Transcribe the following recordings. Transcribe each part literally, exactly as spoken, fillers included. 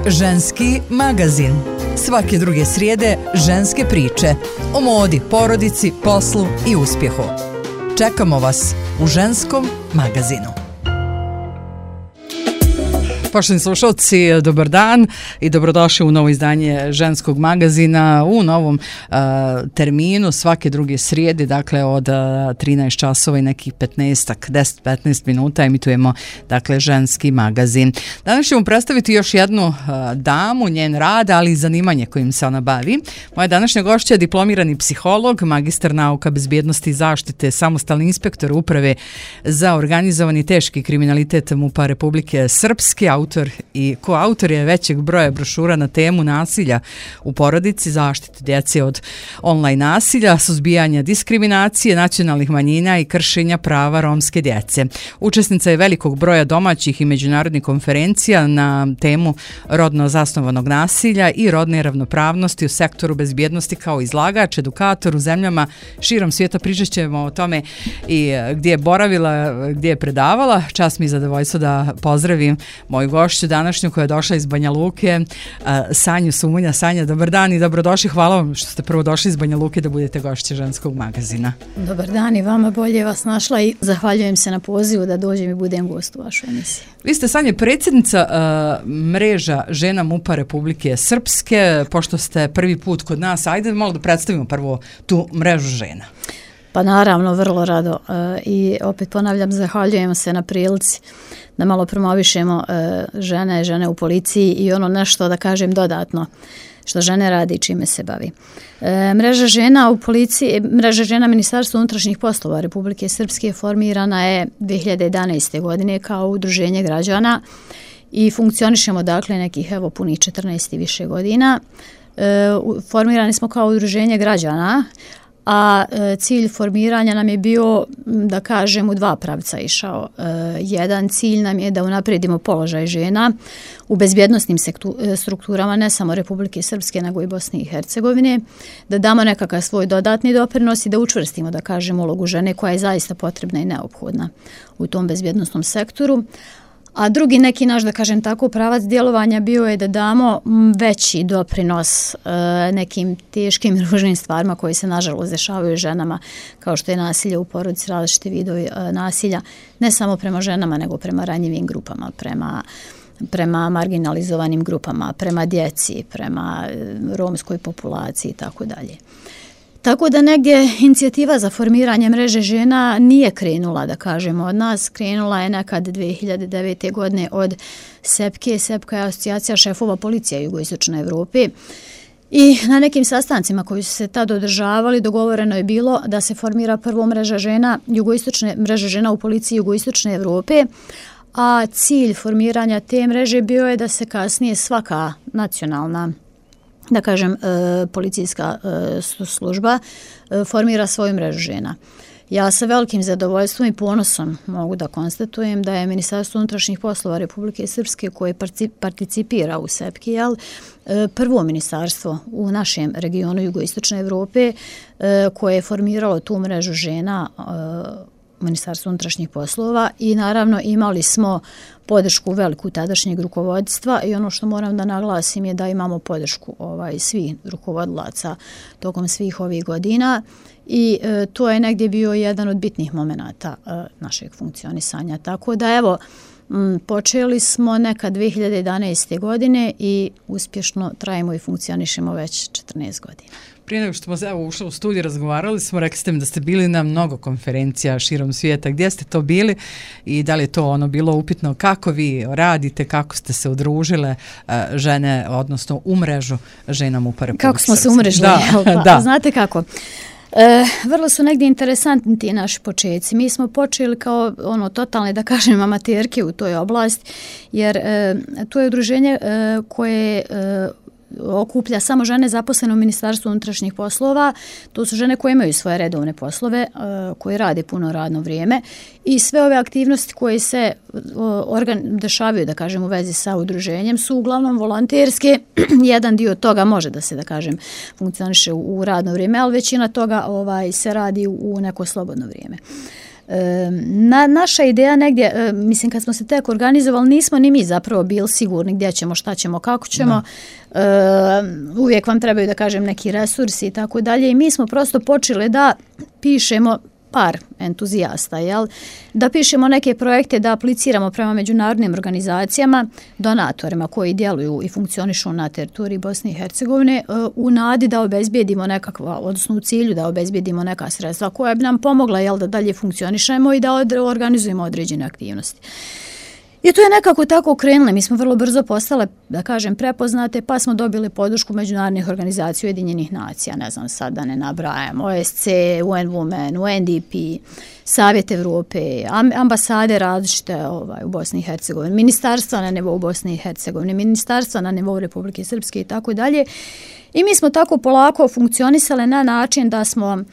Ženski magazin. Svake druge srijede ženske priče o modi, porodici, poslu i uspjehu. Čekamo vas u Ženskom magazinu. Poštovani slušalci, dobar dan i dobrodošli u novo izdanje Ženskog magazina u novom uh, terminu svake druge srijede, dakle od uh, trinaest časova i nekih petnaest, deset do petnaest minuta emitujemo dakle Ženski magazin. Danas ćemo predstaviti još jednu uh, damu, njen rad, ali i zanimanje kojim se ona bavi. Moja današnja gošća je diplomirani psiholog, magistar nauka bezbjednosti i zaštite, samostalni inspektor uprave za organizovani teški kriminalitet MUP-a Republike Srpske, autor i koautor je većeg broja brošura na temu nasilja u porodici, zaštite djece od online nasilja, suzbijanja diskriminacije nacionalnih manjina i kršenja prava romske djece. Učesnica je velikog broja domaćih i međunarodnih konferencija na temu rodno zasnovanog nasilja i rodne ravnopravnosti u sektoru bezbjednosti kao izlagač, edukator u zemljama širom svijeta. Pričat ćemo o tome i gdje je boravila, gdje je predavala. Čast mi je zadovoljstvo da pozdravim moju gošću današnju koja je došla iz Banja Luke, Sanju Sumunja. Sanja, dobar dan i dobrodošli. Hvala vam što ste prvo došli iz Banja Luke da budete gošće Ženskog magazina. Dobar dan i vama, bolje vas našla i zahvaljujem se na pozivu da dođem i budem gost u vašoj emisiji. Vi ste, Sanja, predsjednica uh, mreža žena MUP-a Republike Srpske. Pošto ste prvi put kod nas, ajde malo da predstavimo prvo tu mrežu žena. Pa naravno, vrlo rado. Uh, I opet ponavljam, zahvaljujem se na prilici da malo promovišemo uh, žene, žene u policiji i ono nešto, da kažem, dodatno što žene radi i čime se bavi. E, mreža žena u policiji, mreža žena Ministarstva unutrašnjih poslova Republike Srpske formirana je dvije hiljade jedanaeste. godine kao udruženje građana i funkcionišemo dakle nekih evo punih četrnaest i više godina. E, formirani smo kao udruženje građana, a e, cilj formiranja nam je bio, da kažem, u dva pravca išao. E, jedan cilj nam je da unaprijedimo položaj žena u bezbjednosnim sektu, e, strukturama ne samo Republike Srpske nego i Bosne i Hercegovine, da damo nekakav svoj dodatni doprinos i da učvrstimo, da kažem, ulogu žene koja je zaista potrebna i neophodna u tom bezbjednosnom sektoru. A drugi neki naš, da kažem tako, pravac djelovanja bio je da damo veći doprinos e, nekim teškim i ružnim stvarima koji se nažalost dešavaju ženama, kao što je nasilje u porodici, različite vidovi e, nasilja, ne samo prema ženama, nego prema ranjivim grupama, prema prema marginalizovanim grupama, prema djeci, prema romskoj populaciji i tako dalje. Tako da negdje inicijativa za formiranje mreže žena nije krenula, da kažemo, od nas. Krenula je nekad dvije hiljade devete. godine od SEPKE. SEPKA je asocijacija šefova policija jugoistočne Evrope. I na nekim sastancima koji su se tad održavali dogovoreno je bilo da se formira prvo mreža žena, jugoistočne, mreža žena u policiji jugoistočne Evrope, a cilj formiranja te mreže bio je da se kasnije svaka nacionalna, da kažem, e, policijska e, služba e, formira svoju mrežu žena. Ja sa velikim zadovoljstvom i ponosom mogu da konstatujem da je Ministarstvo unutrašnjih poslova Republike Srpske, koje participira u SEPKI, jel, e, prvo ministarstvo u našem regionu jugoistočne Evrope e, koje je formiralo tu mrežu žena e, Ministarstvo unutrašnjih poslova i naravno imali smo podršku veliku tadašnjeg rukovodstva i ono što moram da naglasim je da imamo podršku ovaj, svih rukovodilaca tokom svih ovih godina i e, to je negdje bio jedan od bitnih momenata e, našeg funkcionisanja. Tako da evo, m, počeli smo neka dvije hiljade jedanaeste. godine i uspješno trajimo i funkcionišemo već četrnaest godina. Prije nego što smo evo, ušli u studiju, razgovarali smo, rekli ste mi da ste bili na mnogo konferencija širom svijeta. Gdje ste to bili i da li je to ono bilo upitno kako vi radite, kako ste se udružile uh, žene, odnosno u mrežu žena MUP-a Republike Srpske? Kako smo se umrežili? Da, da. Znate kako? E, vrlo su negdje interesantni ti naši početci. Mi smo počeli kao ono totalne, da kažem, amaterke u toj oblasti, jer e, to je udruženje e, koje e, okuplja samo žene zaposlene u Ministarstvu unutrašnjih poslova. To su žene koje imaju svoje redovne poslove, koje rade puno radno vrijeme i sve ove aktivnosti koje se organ, dešavaju, da kažem, u vezi sa udruženjem su uglavnom volonterske. Jedan dio toga može da se, da kažem, funkcioniše u radno vrijeme, ali većina toga ovaj, se radi u neko slobodno vrijeme. Na, naša ideja negdje, mislim kad smo se tek organizovali, nismo ni mi zapravo bili sigurni gdje ćemo, šta ćemo, kako ćemo. Uh, uvijek vam trebaju da kažem neki resursi i tako dalje i mi smo prosto počeli da pišemo par entuzijasta, jel? Da pišemo neke projekte, da apliciramo prema međunarodnim organizacijama, donatorima koji djeluju i funkcionišu na teritoriji Bosne i Hercegovine u nadi da obezbijedimo nekakva, odnosno u cilju da obezbijedimo neka sredstva koja bi nam pomogla, jel, da dalje funkcionišemo i da organizujemo određene aktivnosti. I to je nekako tako krenulo. Mi smo vrlo brzo postale, da kažem, prepoznate, pa smo dobili podršku međunarodnih organizacija Ujedinjenih nacija, ne znam sad da ne nabrajam, O S C, U N Women, U N D P, Savjet Evrope, ambasade različite ovaj, u Bosni i Hercegovini, ministarstva na nivou Bosne i Hercegovine, ministarstva na nivou Republike Srpske i tako dalje. I mi smo tako polako funkcionisali na način da smo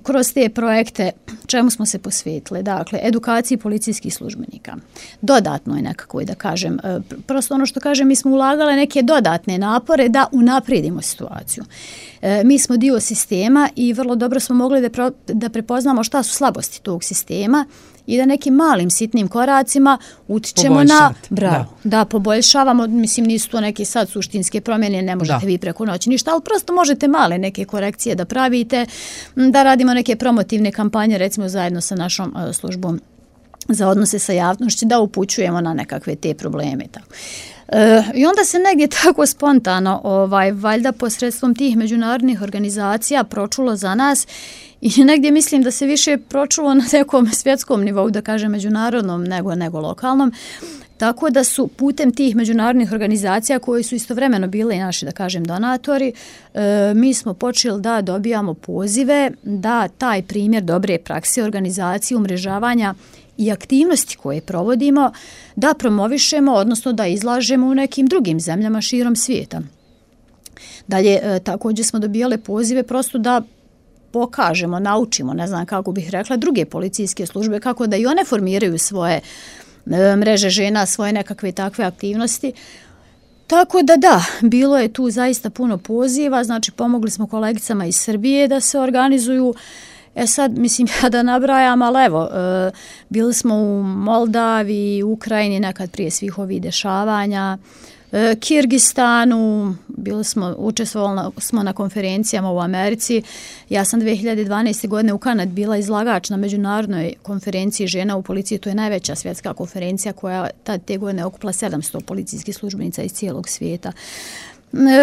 kroz te projekte, čemu smo se posvetili? Dakle, edukaciji policijskih službenika. Dodatno je nekako, da kažem, prosto ono što kažem, mi smo ulagali neke dodatne napore da unaprijedimo situaciju. Mi smo dio sistema i vrlo dobro smo mogli da, pro, da prepoznamo šta su slabosti tog sistema i da nekim malim sitnim koracima utičemo na bravo, da. da poboljšavamo, mislim nisu to neke sad suštinske promjene, ne možete da. vi preko noći ništa, ali prosto možete male neke korekcije da pravite, da radimo neke promotivne kampanje, recimo zajedno sa našom uh, službom za odnose sa javnošću, da upućujemo na nekakve te probleme. Tako. Uh, I onda se negdje tako spontano, ovaj, valjda posredstvom tih međunarodnih organizacija pročulo za nas i negdje mislim da se više pročulo na nekom svjetskom nivou, da kažem međunarodnom nego, nego lokalnom, tako da su putem tih međunarodnih organizacija koji su istovremeno bili naši, da kažem, donatori, e, mi smo počeli da dobijamo pozive da taj primjer dobre prakse organizacije, umrežavanja i aktivnosti koje provodimo da promovišemo, odnosno da izlažemo u nekim drugim zemljama širom svijeta. Dalje, e, također smo dobijali pozive prosto da pokažemo, naučimo, ne znam kako bih rekla, druge policijske službe, kako da i one formiraju svoje e, mreže žena, svoje nekakve takve aktivnosti. Tako da da, bilo je tu zaista puno poziva, znači pomogli smo kolegicama iz Srbije da se organizuju. E sad, mislim, ja da nabrajam, ali evo, e, bili smo u Moldaviji, Ukrajini, nekad prije svih ovih dešavanja, e, Kirgistanu, bili smo, učestvovali smo na konferencijama u Americi. Ja sam dvije hiljade dvanaeste. godine u Kanadi bila izlagač na međunarodnoj konferenciji žena u policiji. To je najveća svjetska konferencija koja tad te godine okupila sedamsto policijskih službenica iz cijelog svijeta.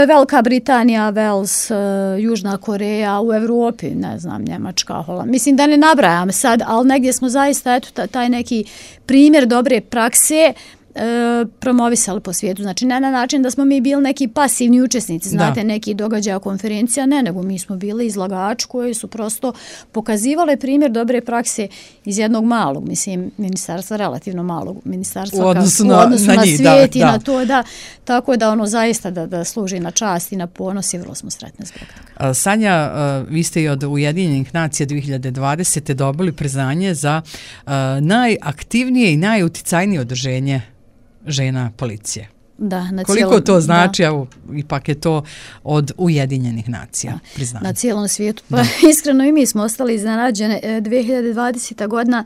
Velika Britanija, Wales, Južna Koreja, u Evropi, ne znam, Njemačka, Holand. Mislim da ne nabrajam sad, ali negdje smo zaista, eto, taj neki primjer dobre prakse e, promovisali po svijetu. Znači, ne na način da smo mi bili neki pasivni učesnici, znate, da. neki događaja, konferencija, ne, nego mi smo bili izlagači koji su prosto pokazivali primjer dobre prakse iz jednog malog, mislim, ministarstva, relativno malog ministarstva, u odnosu kao, na, u odnosu na, na njih, svijet da, i da. na to, da, tako da ono zaista da, da služi na čast i na ponos i vrlo smo sretni zbog toga. Sanja, vi ste i od Ujedinjenih nacija dvije hiljade dvadesete. dobili priznanje za uh, najaktivnije i najuticajnije udruženje žena policije. Da, na Koliko cijelom, to znači, da. evo, ipak je to od Ujedinjenih nacija priznanje. Na cijelom svijetu. Pa iskreno i mi smo ostali iznenađene. dvije hiljade dvadesete. godina,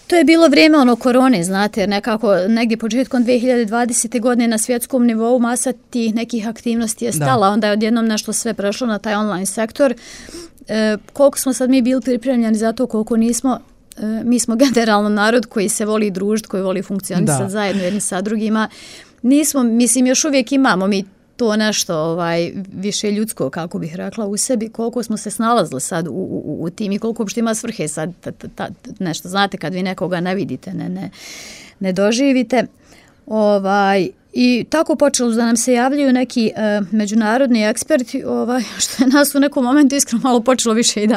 to je bilo vrijeme ono korone, znate, jer nekako negdje početkom dvije hiljade dvadesete. godine na svjetskom nivou masa tih nekih aktivnosti je stala, da. onda je odjednom nešto sve prešlo na taj online sektor. E, koliko smo sad mi bili pripremljeni za to, koliko nismo, e, mi smo generalno narod koji se voli družiti, koji voli funkcionisati zajedno jedni sa drugima. Nismo, mislim, još uvijek imamo mi to nešto ovaj, više ljudsko, kako bih rekla, u sebi, koliko smo se snalazili sad u, u, u tim i koliko uopšte ima svrhe sad ta, ta, ta, nešto, znate, kad vi nekoga ne vidite, ne, ne, ne doživite. Ovaj, I tako počelo da nam se javljaju neki e, međunarodni eksperti, ovaj, što je nas u nekom momentu iskreno malo počelo više i da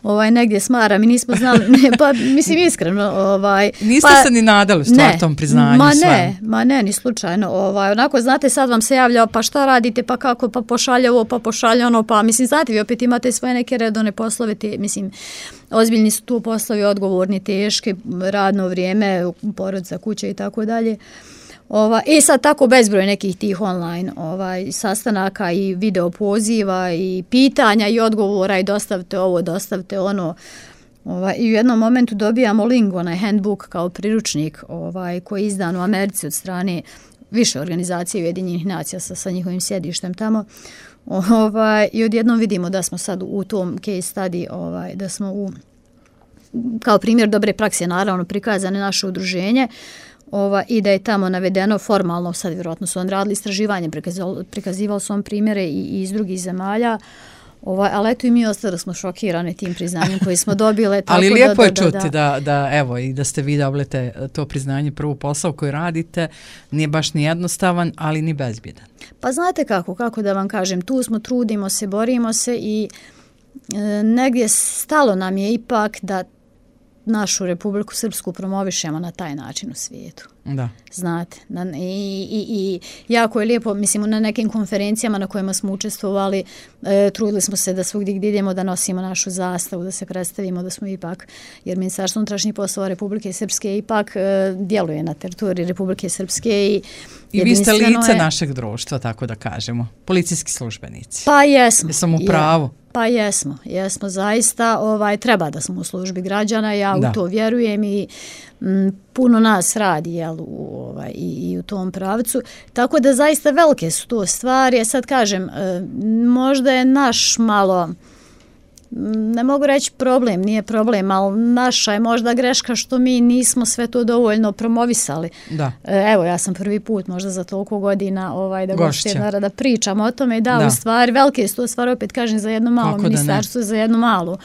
ovaj, negdje smara. Mi nismo znali, ne, pa mislim iskreno. Ovaj, Niste pa, se ni nadali stvar tom priznanju? Ma ne, ma ne, ni slučajno. Ovaj, onako, znate, sad vam se javlja, pa šta radite, pa kako, pa pošalje ovo, pa pošalje ono, pa mislim, znate, vi opet imate svoje neke redovne poslove, te, mislim, ozbiljni su tu poslovi, odgovorni, teški, radno vrijeme, porodica, kuća i tako dalje. Ova, I sad tako bezbroj nekih tih online ovaj, sastanaka i video poziva i pitanja i odgovora i dostavite ovo, dostavite ono. Ovaj, i u jednom momentu dobijamo link, onaj handbook kao priručnik ovaj, koji je izdan u Americi od strane više organizacije Ujedinjenih nacija sa, sa njihovim sjedištem tamo. Ovaj, i odjednom vidimo da smo sad u tom case study, ovaj, da smo u, kao primjer dobre prakse naravno prikazane naše udruženje, Ova, i da je tamo navedeno formalno, sad vjerojatno su on radili istraživanje, prikazivali, prikazivali su on primjere i, i iz drugih zemalja, Ova, ali eto i mi ostali smo šokirani tim priznanjem koji smo dobili. Ali lijepo da, je da, čuti da, da, da, evo, i da ste vi dobili to priznanje, prvo posao koji radite, nije baš ni jednostavan, ali ni bezbjedan. Pa znate kako, kako da vam kažem, tu smo, trudimo se, borimo se i e, negdje stalo nam je ipak da našu Republiku Srpsku promovišemo na taj način u svijetu. Da. Znate, na, i, i, i jako je lijepo, mislim, na nekim konferencijama na kojima smo učestvovali, e, trudili smo se da svugdje gdje idemo da nosimo našu zastavu, da se predstavimo da smo ipak, jer Ministarstvo unutrašnjih poslova Republike Srpske ipak e, djeluje na teritoriji Republike Srpske i I vi ste lice je, našeg društva, tako da kažemo, policijski službenici. Pa jesmo. Jesam u pravu. Je. Pa jesmo, jesmo zaista, ovaj, treba da smo u službi građana, ja da. u to vjerujem i m, puno nas radi jel, u, ovaj, i, i u tom pravcu, tako da zaista velike su to stvari, ja sad kažem, e, možda je naš malo, ne mogu reći problem, nije problem, ali naša je možda greška što mi nismo sve to dovoljno promovisali. Da. Evo, ja sam prvi put možda za toliko godina ovaj, da gošće da pričam o tome, da, da. u stvari, velike su to stvari, opet kažem, za jedno malo Kako ministarstvo, za jednu malu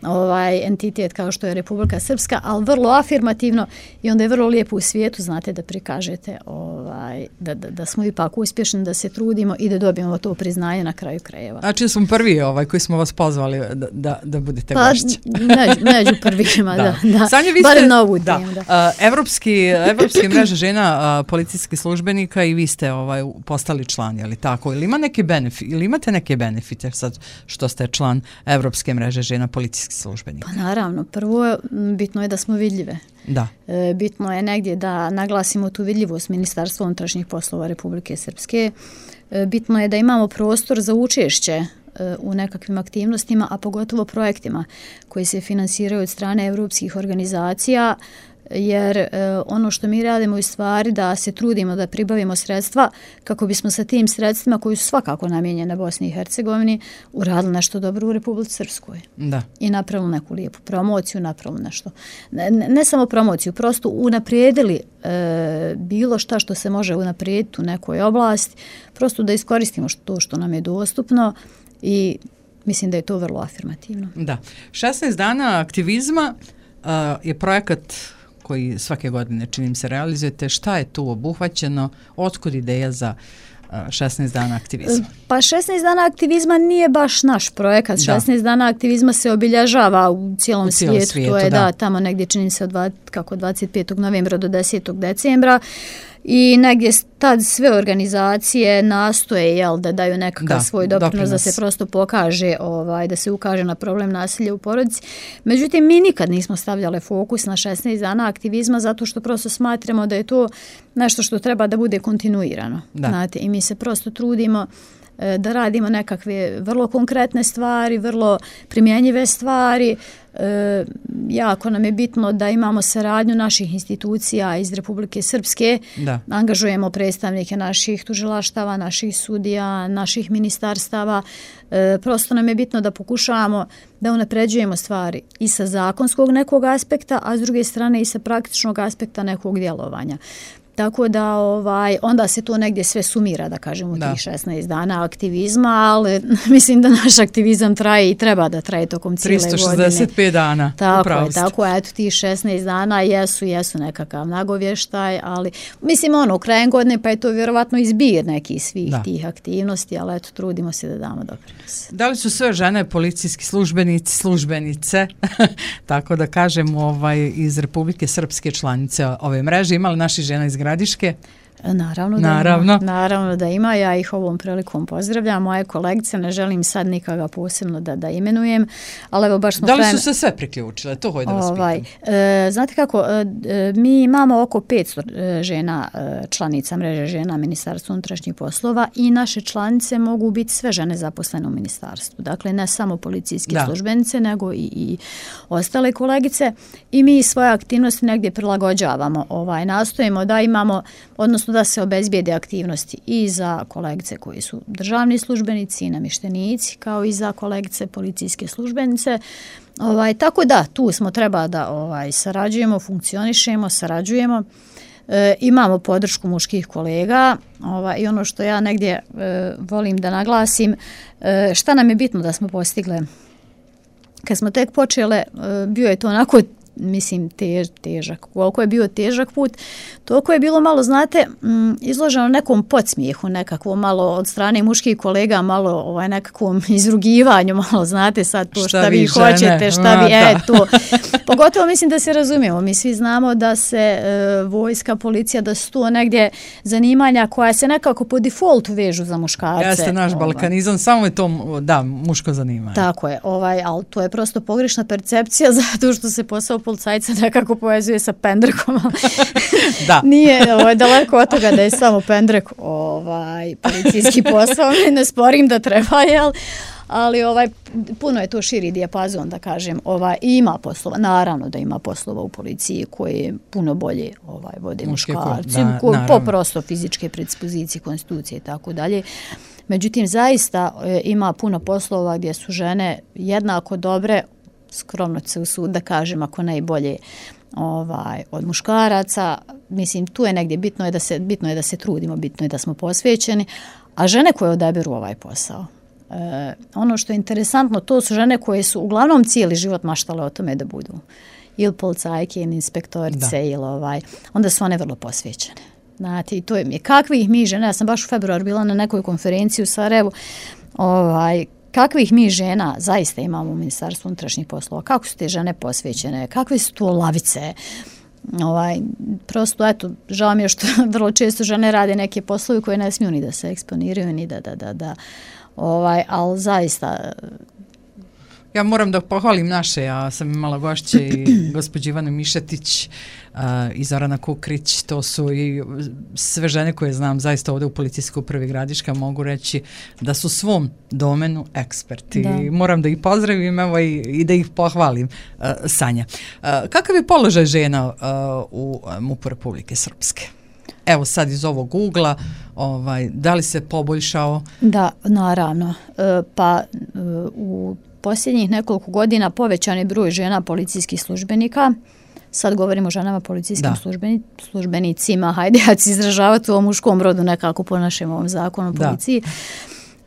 ovaj entitet kao što je Republika Srpska, ali vrlo afirmativno i onda je vrlo lijepo u svijetu, znate, da prikažete ovaj, da, da, da smo ipak uspješni, da se trudimo i da dobijemo to priznanje na kraju krajeva. Znači smo prvi ovaj, koji smo vas pozvali da, da, da budete pa, gošće. Među, među prvima, da. da, da. Sanja, vi Barem ste, novu da, tim, da. Uh, Evropski, Evropske mreže žena uh, policijskih službenika i vi ste ovaj, postali član, je li tako? Ili, ima neke benefit, ili imate neke benefite sad što ste član Evropske mreže žena policijskih službenika? Pa naravno, prvo bitno je da smo vidljive. Da. E, bitno je negdje da naglasimo tu vidljivost Ministarstva unutrašnjih poslova Republike Srpske. E, bitno je da imamo prostor za učešće e, u nekakvim aktivnostima, a pogotovo projektima koji se finansiraju od strane evropskih organizacija, jer e, ono što mi radimo je stvari da se trudimo da pribavimo sredstva kako bismo sa tim sredstvima koji su svakako namijenjene Bosni i Hercegovini uradili nešto dobro u Republici Srpskoj. Da. I napravili neku lijepu promociju, napravili nešto. Ne, ne samo promociju, prosto unaprijedili e, bilo šta što se može unaprijediti u nekoj oblasti, prosto da iskoristimo što, to što nam je dostupno i mislim da je to vrlo afirmativno. Da. šesnaest dana aktivizma uh, je projekat koji svake godine činim se realizujete. Šta je tu obuhvaćeno? Otkud ideja za šesnaest dana aktivizma? Pa šesnaest dana aktivizma nije baš naš projekat. Da. šesnaest dana aktivizma se obilježava u cijelom, u cijelom svijetu. svijetu. To je da. da, tamo negdje čini se od dva, kako dvadeset petog novembra do desetog decembra. I negdje tad sve organizacije nastoje jel, da daju nekakav da, svoj doprinos, doprinos da se prosto pokaže, ovaj, da se ukaže na problem nasilja u porodici. Međutim, mi nikad nismo stavljali fokus na šesnaest dana aktivizma zato što prosto smatramo da je to nešto što treba da bude kontinuirano. Znate, i mi se prosto trudimo e, da radimo nekakve vrlo konkretne stvari, vrlo primjenjive stvari. E, jako nam je bitno da imamo saradnju naših institucija iz Republike Srpske, da. Angažujemo predstavnike naših tužilaštava, naših sudija, naših ministarstava. E, prosto nam je bitno da pokušavamo da unapređujemo stvari i sa zakonskog nekog aspekta, a s druge strane i sa praktičnog aspekta nekog djelovanja. Tako da ovaj, onda se to negdje sve sumira, da kažem, u tih šesnaest dana aktivizma, ali mislim da naš aktivizam traje i treba da traje tokom cijele godine. tristo šezdeset pet dana. Tako je, tako je, eto tih šesnaest dana jesu, jesu nekakav nagovještaj, ali mislim ono, krajem godine pa je to vjerovatno izbir nekih svih da. tih aktivnosti, ali eto, trudimo se da damo doprinos. Da li su sve žene policijski službenici, službenice, tako da kažem, ovaj, iz Republike Srpske članice ove mreže, imali naši žena iz Gradiške? Naravno da, Naravno. Ima, naravno da ima, ja ih ovom prilikom pozdravljam, moje kolegice, ne želim sad nikoga posebno da, da imenujem, ali evo baš smo... Da li krajem, su se sve priključile? To hoću da vas ovaj, pitam. E, znate kako, e, mi imamo oko petsto žena, e, članica mreže žena Ministarstva unutrašnjih poslova i naše članice mogu biti sve žene zaposlene u ministarstvu. Dakle, ne samo policijske da. službenice, nego i, i ostale kolegice i mi svoje aktivnosti negdje prilagođavamo. Ovaj, nastojimo da imamo, odnosno da se obezbijede aktivnosti i za kolegice koji su državni službenici i namještenici, kao i za kolegice policijske službenice. Ovaj, tako da, tu smo treba da ovaj, sarađujemo, funkcionišemo, sarađujemo. E, imamo podršku muških kolega ovaj, i ono što ja negdje e, volim da naglasim, e, šta nam je bitno da smo postigle. Kad smo tek počele, e, bio je to onako, mislim, tež, težak. Koliko je bio težak put, toliko je bilo malo, znate, izloženo nekom podsmijehu, nekakvo malo od strane muških kolega, malo ovaj, nekakvom izrugivanju, malo, znate, sad to šta, šta vi žene. hoćete, šta A, vi, e, to. Pogotovo mislim da se razumijemo, mi svi znamo da se e, vojska, policija, da su to negdje zanimanja koja se nekako po defaultu vežu za muškarce. Jeste naš ovaj. balkanizam, samo je to, da, muško zanimanje. Tako je, ovaj, ali to je prosto pogrešna percepcija zato što se posao policajca nekako povezuje sa pendrekom. Da. Nije ovaj, daleko od toga da je samo pendrek ovaj, policijski posao, ne sporim da treba, jel? Ali ovaj, puno je to širi dijapazon, da kažem, ovaj, i ima poslova, naravno da ima poslova u policiji koje puno bolje ovaj, vode Muške muškarci, ko, da, po prosto fizičke predispozicije, konstitucije i tako dalje. Međutim, zaista e, ima puno poslova gdje su žene jednako dobre, skromno se usud da kažem, ako najbolje ovaj, od muškaraca. Mislim, tu je negdje bitno je da se, bitno je da se trudimo, bitno je da smo posvećeni, a žene koje odaberu ovaj posao. E, ono što je interesantno, to su žene koje su uglavnom cijeli život maštale o tome da budu ili policajke ili inspektorice ili ovaj, onda su one vrlo posvećene. Znate, i to je kakvih mi žena, ja sam baš u februaru bila na nekoj konferenciji u Sarajevu, ovaj, kakvih mi žena zaista imamo u Ministarstvu unutrašnjih poslova, kako su te žene posvećene, kakve su to lavice, ovaj, prosto, eto, žao mi je što vrlo često žene rade neke poslove koje ne smiju ni da se eksponiraju, ni da, da, da, da, ovaj, ali zaista... Ja moram da pohvalim naše, ja sam imala gošće i gospođu Ivanu Mišetić uh, i Zorana Kukrić, to su i sve žene koje znam zaista ovdje u Policijskoj upravi Gradiška, mogu reći da su svom domenu eksperti. Da. Moram da ih pozdravim evo, i, i da ih pohvalim. Uh, Sanja, uh, kakav je položaj žena uh, u M U P-u Republike Srpske? Evo sad iz ovog ugla, ovaj, da li se poboljšao? Da, naravno. E, pa e, u posljednjih nekoliko godina povećan je broj žena policijskih službenika. Sad govorimo o ženama policijskim službeni, službenicima. Hajde, ja ću izražavati u muškom rodu nekako po našem ovom zakonu o policiji.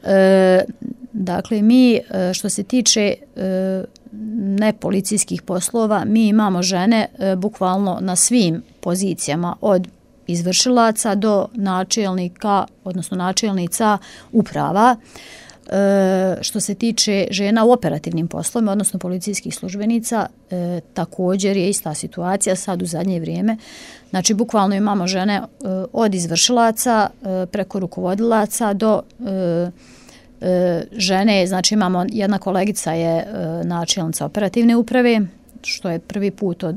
E, dakle, mi što se tiče e, nepolicijskih poslova, mi imamo žene e, bukvalno na svim pozicijama od izvršilaca do načelnika, odnosno načelnica uprava. E, što se tiče žena u operativnim poslovima, odnosno policijskih službenica, e, također je ista situacija sad u zadnje vrijeme. Znači, bukvalno imamo žene e, od izvršilaca e, preko rukovodilaca do e, e, žene, znači imamo jedna kolegica je e, načelnica operativne uprave, što je prvi put od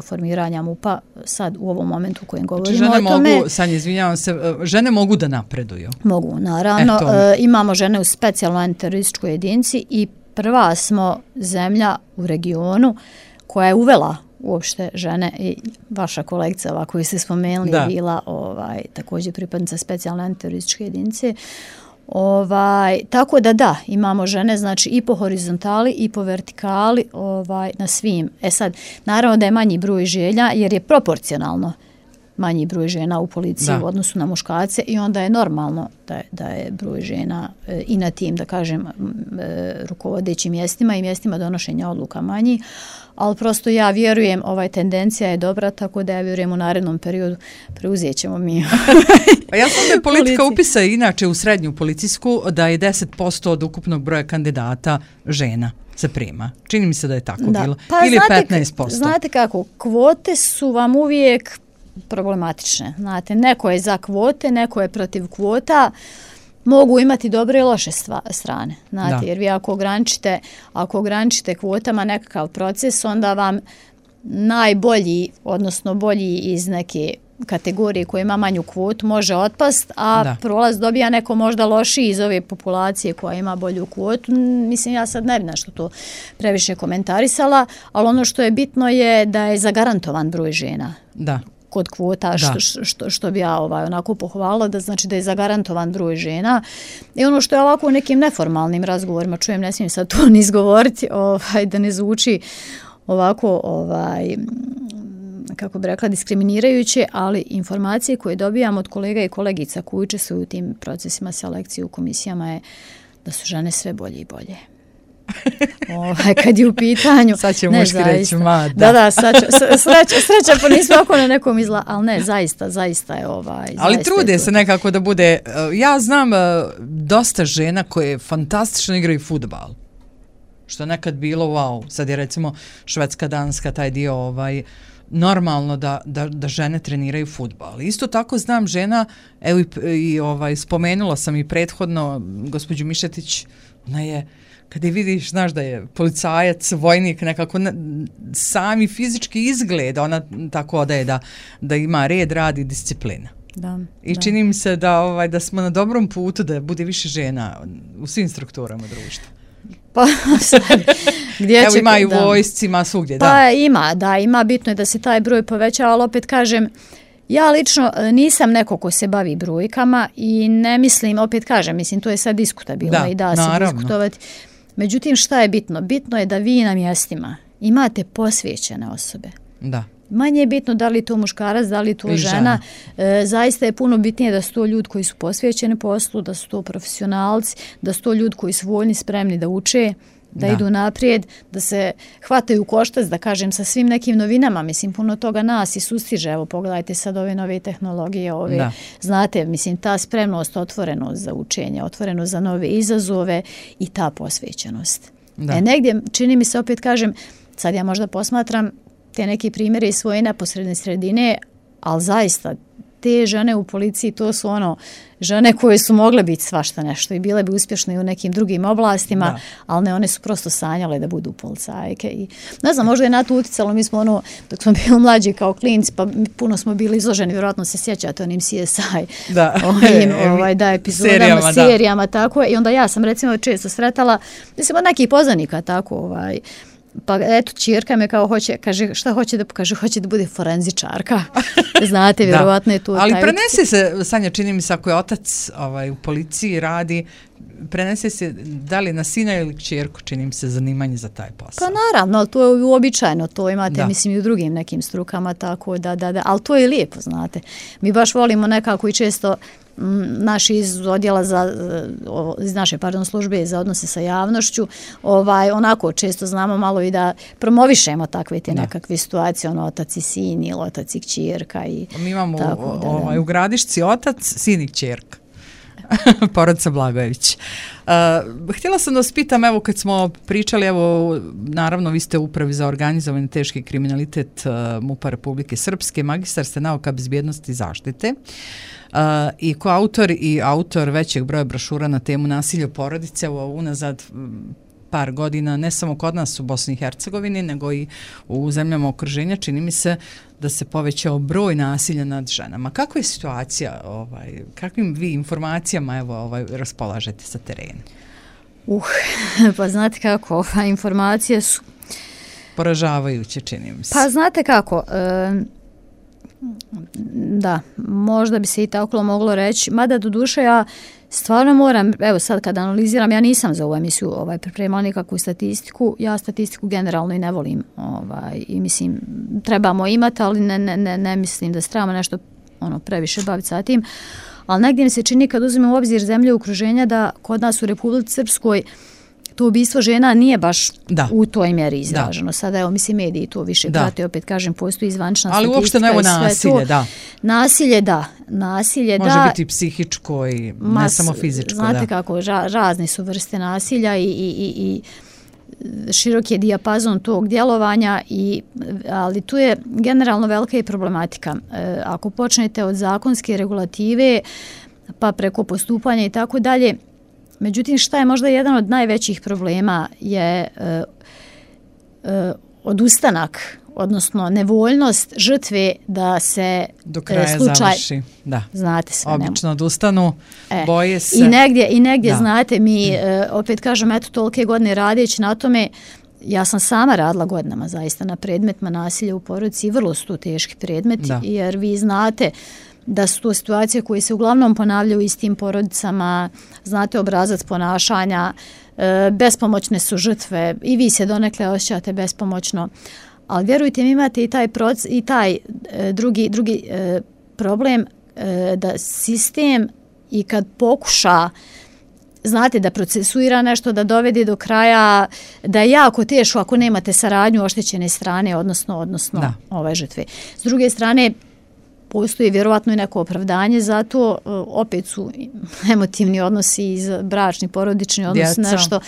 formiranja M U P-a sad u ovom momentu u kojem govorimo znači, žene o tome. Mogu, sad izvinjavam se, žene mogu da napreduju? Mogu, naravno. E, imamo žene u specijalnoj antiterorističkoj jedinici i prva smo zemlja u regionu koja je uvela uopšte žene i vaša kolegica ova koju ste spomenuli da. je bila ovaj, također pripadnica specijalne antiterorističke jedinice. Ovaj, tako da da, imamo žene znači i po horizontali i po vertikali ovaj, na svim. E sad, naravno da je manji broj želja jer je proporcionalno manji broj žena u policiji da. u odnosu na muškarce i onda je normalno da je, da je broj žena e, i na tim, da kažem, e, rukovodećim mjestima i mjestima donošenja odluka manji, ali prosto ja vjerujem, ovaj tendencija je dobra, tako da ja vjerujem u narednom periodu preuzet ćemo mi. Pa ja sam da politika upisa inače u srednju policijsku da je deset posto od ukupnog broja kandidata žena se prima. Čini mi se da je tako da. bilo. Pa ili znate, petnaest posto. Znate kako, kvote su vam uvijek problematične. Znate, neko je za kvote, neko je protiv kvota, mogu imati dobre i loše stva, strane. Znate, jer vi ako ograničite, ako ograničite kvotama nekakav proces, onda vam najbolji, odnosno bolji iz neke kategorije koja ima manju kvotu može otpast, a da. prolaz dobija neko možda lošiji iz ove populacije koja ima bolju kvotu. Mislim, ja sad ne bi nešto to previše komentarisala, ali ono što je bitno je da je zagarantovan broj žena. Da. Kod kvota, što, što, što bi ja ovaj, onako pohvalila, da znači da je zagarantovan broj žena. I ono što je ovako u nekim neformalnim razgovorima, čujem, ne smijem sad to ni izgovoriti, ovaj, da ne zvuči ovako, ovaj, kako bi rekla, diskriminirajuće, ali informacije koje dobijam od kolega i kolegica koji učestvuju u tim procesima selekcije u komisijama je da su žene sve bolje i bolje. Ovaj, kad je u pitanju... Sad će muški reći, ma, da. Da, da, sad će, sreća, sreća, pa nismo oko na nekom izla, ali ne, zaista, zaista je ovaj... Ali trude se nekako da bude... Ja znam dosta žena koje fantastično igraju fudbal. Što je nekad bilo, wow, sad je recimo Švedska, Danska, taj dio, ovaj... normalno da, da, da žene treniraju fudbal. Isto tako znam žena, evo i, i ovaj, spomenula sam i prethodno gospođu Mišetić, ona je, kada je vidiš, znaš da je policajac, vojnik, nekako ne, sami fizički izgleda, ona tako odaje da, da ima red, rad i disciplina. Da, I da. čini mi se da, ovaj, da smo na dobrom putu da bude više žena u svim strukturama društva. Pa, sad, gdje Evo će, ima i u da. vojsci, ima svugdje, da. Pa ima, da, ima, bitno je da se taj broj poveća, ali opet kažem, ja lično nisam neko ko se bavi brojkama i ne mislim, opet kažem, mislim, to je sad diskutabilno da, i da se naravno. diskutovati. Međutim, šta je bitno? Bitno je da vi na mjestima imate posvećene osobe. Da. Manje je bitno da li to muškarac, da li to I žena. žena. E, zaista je puno bitnije da su to ljudi koji su posvećeni poslu, da su to profesionalci, da su to ljudi koji su voljni, spremni da uče, da, da idu naprijed, da se hvataju koštac, da kažem, sa svim nekim novinama. Mislim, puno toga nas i sustiže. Evo, pogledajte sad ove nove tehnologije, ove, da. Znate, mislim, ta spremnost, otvorenost za učenje, otvorenost za nove izazove i ta posvećenost. Da. E, negdje, čini mi se, opet kažem, sad ja možda posmatram te neki primjere iz svoje neposredne sredine, ali zaista te žene u policiji, to su ono žene koje su mogle biti svašta nešto i bile bi uspješne i u nekim drugim oblastima, da. Ali ne, one su prosto sanjale da budu policajke. I, ne znam, možda je na to utjecalo, mi smo ono, dok smo bili mlađi kao klinci, pa puno smo bili izloženi, vjerojatno se sjećate onim C S I, da, ovim, ovaj, da, epizodama, serijama, serijama da. Tako. I onda ja sam recimo često sretala, mislim, od nekih poznanika tako, ovaj, pa eto, ćerka me kao hoće, kaže, šta hoće da kaže, hoće da bude forenzičarka. Znate, vjerovatno je tu. Ali prenese se, Sanja, čini mi se, ako je otac ovaj, u policiji radi, prenese se da li na sina ili ćerku, čini mi se, zanimanje za taj posao. Pa naravno, ali to je uobičajeno, to imate, da. Mislim, i u drugim nekim strukama, tako da, da, da, ali to je lijepo, znate. Mi baš volimo nekako i često naši iz odjela za, iz naše pardon, službe za odnose sa javnošću, ovaj, onako često znamo malo i da promovišemo takve te nekakve situacije, ono otac i sin ili otac i kćerka. I mi imamo tako, da, ovaj, da. u Gradišci otac, sin i kćerka. Porodica Blagojević. Uh, htjela sam da vas pitam, evo kad smo pričali, evo naravno vi ste u upravi za organizovani teški kriminalitet uh, MUP-a Republike Srpske, magistar ste nauka bezbjednosti i zaštite uh, i koautor i autor većeg broja brošura na temu nasilja u porodice, evo unazad par godina, ne samo kod nas u Bosni i Hercegovini, nego i u zemljama okruženja, čini mi se da se povećao broj nasilja nad ženama. Kakva je situacija, ovaj, kakvim vi informacijama evo, ovaj, raspolažete sa terena? Uh, pa znate kako, ova informacije su... Poražavajuće, čini mi se. Pa znate kako, e, da, možda bi se i tako moglo reći, mada do duše ja stvarno moram, evo sad kad analiziram, ja nisam za ovu emisiju ovaj, pripremala nikakvu statistiku, ja statistiku generalno i ne volim ovaj, i mislim trebamo imati, ali ne, ne, ne, ne mislim da se trebamo nešto ono, previše baviti sa tim, ali negdje mi se čini kad uzmemo u obzir zemlje okruženja da kod nas u Republici Srpskoj to ubistvo žena nije baš da. U toj mjeri izraženo. Da. Sada, evo, mislim, mediji to više prate, opet kažem, postoji zvančna ali statistika. Ali uopšte evo nasilje, da. Nasilje, da. Nasilje, može da. Može biti psihičko i Mas, ne samo fizičko, znate da. kako, ra, razne su vrste nasilja i, i, i, i širok je dijapazon tog djelovanja, i, ali tu je generalno velika i problematika. E, ako počnete od zakonske regulative pa preko postupanja i tako dalje, međutim šta je možda jedan od najvećih problema je e, e, odustanak, odnosno nevoljnost žrtve da se do kraja slučaj, završi. Da. Znate sve. Obično odustanu, e, boje se. I negdje, i negdje da. znate, mi e, opet kažem, eto tolike godine radeći na tome, ja sam sama radila godinama zaista na predmetima nasilja u porodici i vrlo su to teški predmeti, da. Jer vi znate da su to situacije koje se uglavnom ponavljaju u istim porodicama, znate obrazac ponašanja, e, bespomoćne su žrtve i vi se donekle osjećate bespomoćno. Ali vjerujte mi, imate i taj, proc, i taj e, drugi, drugi e, problem e, da sistem i kad pokuša, znate, da procesuira nešto, da dovede do kraja, da je jako teško ako nemate saradnju oštećene strane, odnosno, odnosno ove žrtve. S druge strane, postoji vjerovatno i neko opravdanje, zato opet su emotivni odnosi iz bračni, porodični odnos, djeca. Nešto.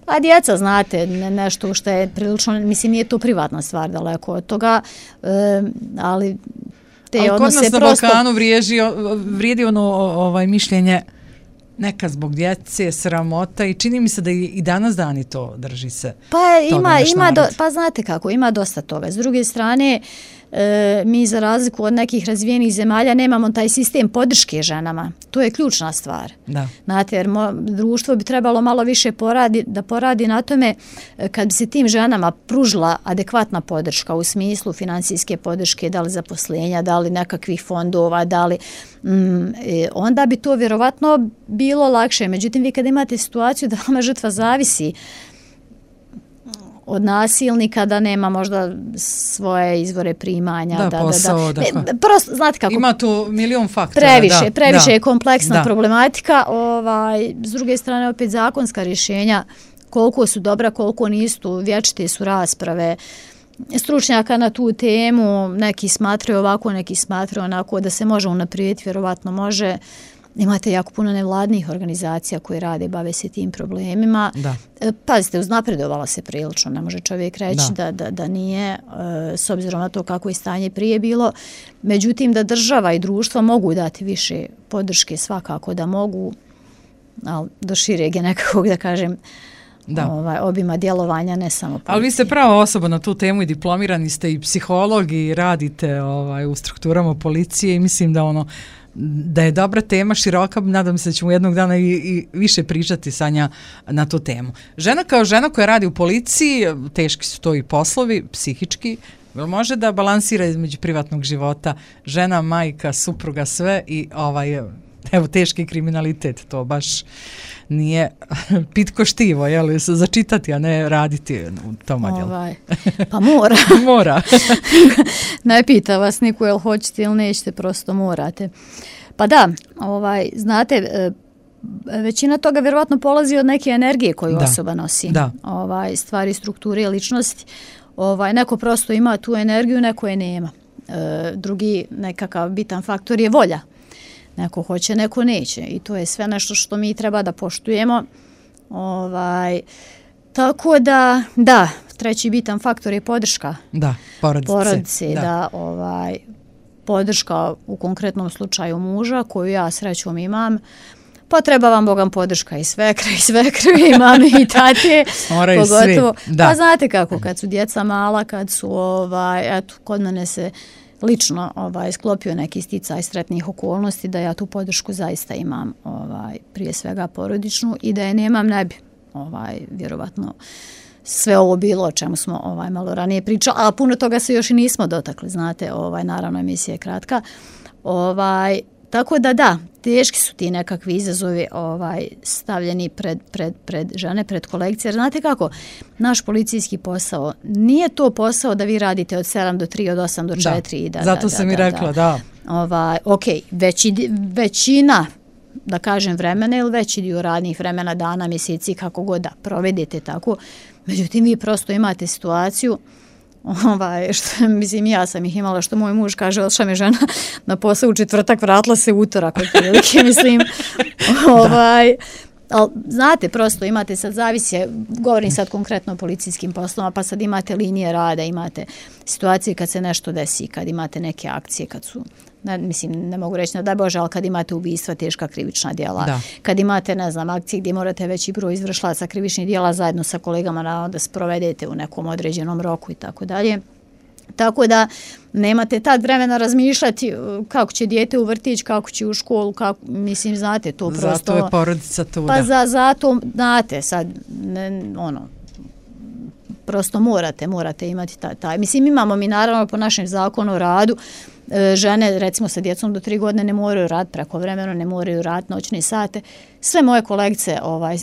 A djeca, znate, nešto što je prilično, mislim, nije to privatna stvar daleko od toga, ali te ali odnose prosto... Ali kod nas na Balkanu vrijedi, vrijedi ono ovaj, mišljenje neka zbog djece, sramota, i čini mi se da i danas dani to drži se. Pa ima, ima do, pa znate kako, ima dosta toga. S druge strane, E, mi za razliku od nekih razvijenih zemalja nemamo taj sistem podrške ženama. To je ključna stvar. Da. Znate, jer mo, društvo bi trebalo malo više poradi, da poradi na tome kad bi se tim ženama pružila adekvatna podrška u smislu finansijske podrške, da li zaposlenja, da li nekakvih fondova, da li, mm, e, onda bi to vjerovatno bilo lakše. Međutim, vi kad imate situaciju da vama žrtva zavisi od nasilnika, da nema možda svoje izvore primanja. Da, da, posao. Da, da. Ne, prosto, znate kako... Ima tu milion faktora. Previše, da, previše da, je kompleksna da. problematika. Ovaj, s druge strane, opet zakonska rješenja, koliko su dobra, koliko nisu, vječite su rasprave stručnjaka na tu temu, neki smatraju ovako, neki smatraju onako, da se može unaprijediti, vjerovatno može. Imate jako puno nevladnih organizacija koje rade, bave se tim problemima. Da. Pazite, uznapredovala se prilično, ne može čovjek reći da, da, da nije, s obzirom na to kako je stanje prije bilo. Međutim, da država i društvo mogu dati više podrške, svakako da mogu, ali do šireg je nekakvog, da kažem, da. Ovaj, obima djelovanja, ne samo policije. Ali vi ste prava osoba na tu temu i diplomirani ste i psiholog i radite ovaj, u strukturama policije, i mislim da ono da je dobra tema, široka, nadam se da ćemo jednog dana i, i više pričati Sanja na tu temu. Žena kao žena koja radi u policiji, teški su to i poslovi, psihički, može da balansira između privatnog života, žena, majka, supruga, sve, i ovaj, evo, teški kriminalitet, to baš nije pitko štivo, jel, začitati, a ne raditi u tom odjelu. Ovaj, pa mora. Mora. Ne pita vas niko jel hoćete ili nećete, prosto morate. Pa da, ovaj, znate, većina toga vjerovatno polazi od neke energije koju da. osoba nosi. Da. Ovaj, stvari, strukture, ličnosti. Ovaj, neko prosto ima tu energiju, neko je nema. E, drugi nekakav bitan faktor je volja. Neko hoće, neko neće, i to je sve nešto što mi treba da poštujemo. Ovaj, tako da, da, treći bitan faktor je podrška. Da, porodice. Porodice, da. da, ovaj, podrška u konkretnom slučaju muža, koju ja srećom imam. Pa treba vam Bogam podrška i svekre, i svekre, i mame, i tate. Moraju svi, da. Pa znate kako, kad su djeca mala, kad su, ovaj, eto, kod mene se lično ovaj, sklopio neki sticaj sretnih okolnosti, da ja tu podršku zaista imam, ovaj, prije svega porodičnu, i da je nemam, ne bi ovaj, vjerovatno sve ovo bilo o čemu smo ovaj, malo ranije pričali, a puno toga se još i nismo dotakli, znate, ovaj, naravno emisija je kratka. Ovaj, tako da da, teški su ti nekakvi izazovi ovaj, stavljeni pred, pred, pred žene, pred kolekcije. Jer znate kako, naš policijski posao, nije to posao da vi radite od sedam do tri, od osam do četiri. Da, da, zato da, sam da, i rekla, da. da. Ovaj, ok, veći, većina, da kažem, vremena ili veći dio radnih vremena, dana, mjeseci, kako god da provedete tako. Međutim, vi prosto imate situaciju, ovaj, što, mislim, ja sam ih imala, što moj muž kaže, odšla mi žena na posao u četvrtak, vratila se utorak, otprilike, mislim, ovaj, ali znate, prosto imate sad zavisje, govorim sad konkretno o policijskim poslovima, pa sad imate linije rada, imate situacije kad se nešto desi, kad imate neke akcije, kad su, ne, mislim, ne mogu reći, ne daj Bože, ali kad imate ubistva, teška krivična djela, da. Kad imate, ne znam, akcije gdje morate veći broj izvršlaca krivičnih djela zajedno sa kolegama na, da sprovedete u nekom određenom roku i tako dalje. Tako da nemate tad vremena razmišljati kako će dijete u vrtić, kako će u školu, kako, mislim, znate, to prosto... Zato je porodica tu, pa da. za, zato, znate, sad, ne, ono, prosto morate, morate imati taj, taj. Mislim, imamo mi naravno po našem zakonu o radu, žene recimo sa djecom do tri godine ne moraju raditi prekovremeno, ne moraju raditi noćne sate. Sve moje kolegice, ovaj,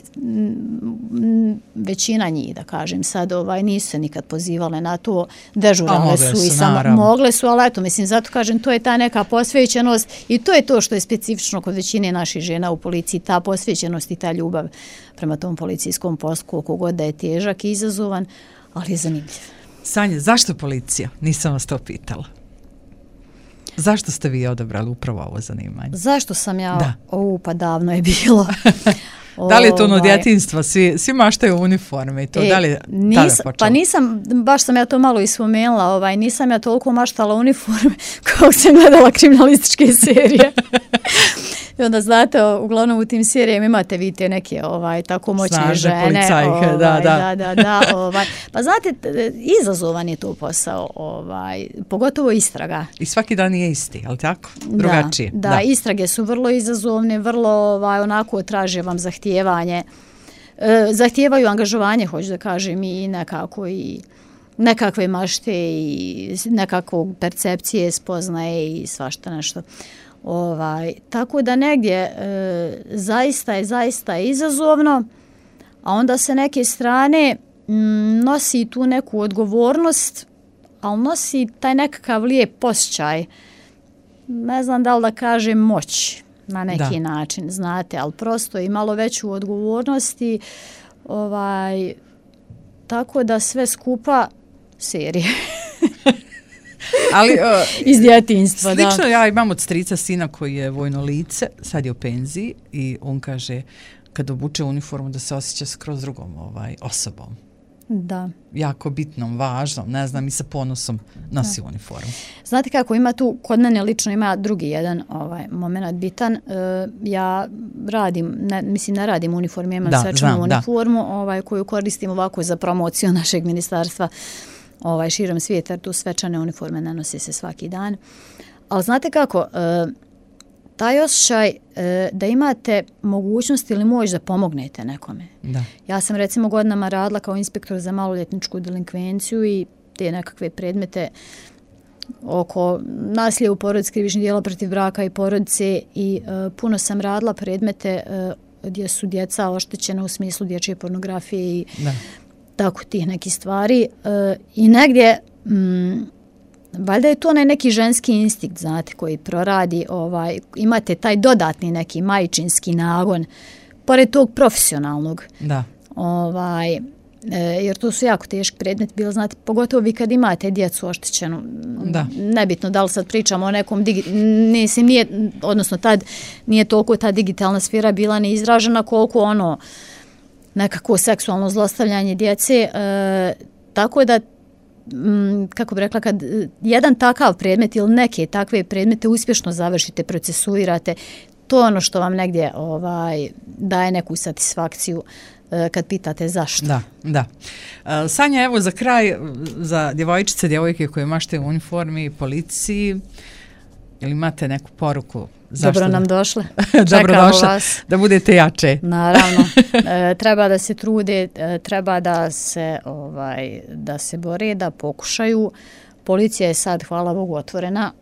većina njih, da kažem sad, ovaj, nisu se nikad pozivale na to, dežurale su, su i samo mogle su, ali eto, mislim, zato kažem, to je ta neka posvećenost i to je to što je specifično kod većine naših žena u policiji, ta posvećenost i ta ljubav prema tom policijskom poslu, koliko god da je težak i izazovan, ali je zanimljiv. Sanja, zašto policija? Nisam vas to pitala. Zašto ste vi odabrali upravo ovo zanimanje? Zašto sam ja? Da. O, pa davno je bilo. Da li je to ono djetinjstva? Svi, svi maštaju uniforme i to, e, da li je tada počelo? Pa nisam, baš sam ja to malo ispomenula, ovaj, nisam ja toliko maštala uniforme kao sam gledala kriminalističke serije. I onda znate, uglavnom u tim serijama imate vidite neke ovaj, tako moćne Snažne žene. Ovaj, da, da. da, da, da ovaj. Pa znate, izazovan je to posao, ovaj, pogotovo istraga. I svaki dan je isti, ali tako? Drugačije. Da, da, da, istrage su vrlo izazovne, vrlo ovaj, onako traže vam zahtijevanje. E, zahtijevaju angažovanje, hoću da kažem, i nekako i nekakve mašte i nekakvog percepcije, spoznaje i svašta nešto. Ovaj, tako da negdje e, zaista je zaista je izazovno, a onda se neke strane m, nosi tu neku odgovornost, ali nosi taj nekakav lijep osjećaj, ne znam da li da kažem moć na neki da. način, znate, ali prosto i malo veću odgovornost i ovaj, tako da sve skupa serije. Ali, uh, iz djetinjstva, da. Slično ja imam od strica sina koji je vojno lice, sad je u penziji i on kaže kad obuče uniformu da se osjeća skroz drugom ovaj, osobom. Da. Jako bitnom, važnom, ne znam, i sa ponosom nosi da. uniformu. Znate kako, ima tu, kod mene lično ima drugi jedan ovaj, moment bitan. E, ja radim, ne, mislim ne radim uniformu, imam da, svečanu uniformu ovaj, koju koristim ovako za promociju našeg ministarstva ovaj, širom svijeta, jer tu svečane uniforme nanose se svaki dan. Ali znate kako, e, taj osjećaj e, da imate mogućnost ili moć da pomognete nekome. Da. Ja sam recimo godinama radila kao inspektor za maloljetničku delinkvenciju i te nekakve predmete oko nasilja u porodici, krivičnih djela protiv braka i porodice i e, puno sam radila predmete e, gdje su djeca oštećena u smislu dječje pornografije i da. tako tih nekih stvari. E, I negdje... Mm, valjda je to onaj neki ženski instinkt, znate, koji proradi, ovaj, imate taj dodatni neki majčinski nagon, pored tog profesionalnog. Da. Ovaj, e, jer to su jako teški predmet bilo, znate, pogotovo vi kad imate djecu oštećenu. Da. Nebitno da li sad pričamo o nekom, digi, nisim, nije, odnosno tad nije toliko ta digitalna sfera bila neizražena koliko ono nekako seksualno zlostavljanje djece, e, tako da kako bi rekla, kad jedan takav predmet ili neke takve predmete uspješno završite, procesuirate, to je ono što vam negdje ovaj, daje neku satisfakciju kad pitate zašto. Da, da. Sanja, evo za kraj, za djevojčice, djevojke koje mašte u uniformi, policiji, ili imate neku poruku? Zašto? Dobro nam došle. Dobro došle, da budete jače. Naravno. E, treba da se trude, e, treba da se, ovaj, da se bore, da pokušaju. Policija je sad, hvala Bogu, otvorena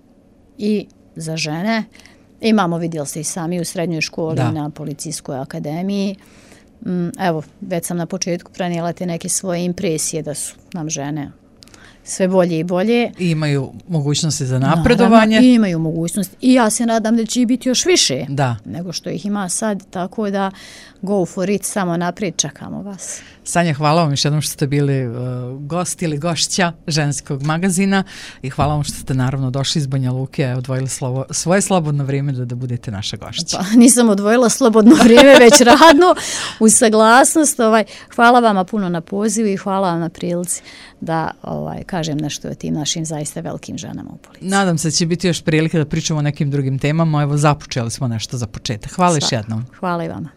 i za žene. Imamo, vidjeli ste i sami u srednjoj školi, da. na policijskoj akademiji. Mm, evo, već sam na početku prenijela te neke svoje impresije da su nam žene sve bolje i bolje. I imaju mogućnosti za napredovanje. Naravno, imaju mogućnost. I ja se nadam da će ih biti još više da. nego što ih ima sad, tako da go for it, samo naprijed, čekamo vas. Sanja, hvala vam još jednom što ste bili uh, gost ili gošća Ženskog magazina i hvala vam što ste naravno došli iz Banja Luke, odvojili slovo, svoje slobodno vrijeme da, da budete naša gošća. Pa, nisam odvojila slobodno vrijeme, već radno, uz saglasnost. Ovaj, hvala vama puno na pozivu i hvala vam na prilici da ovaj, kažem nešto o tim našim zaista velikim ženama u policiji. Nadam se da će biti još prilike da pričamo o nekim drugim temama. Evo, započeli smo nešto za početak. Hvala još jednom. Hvala i vama.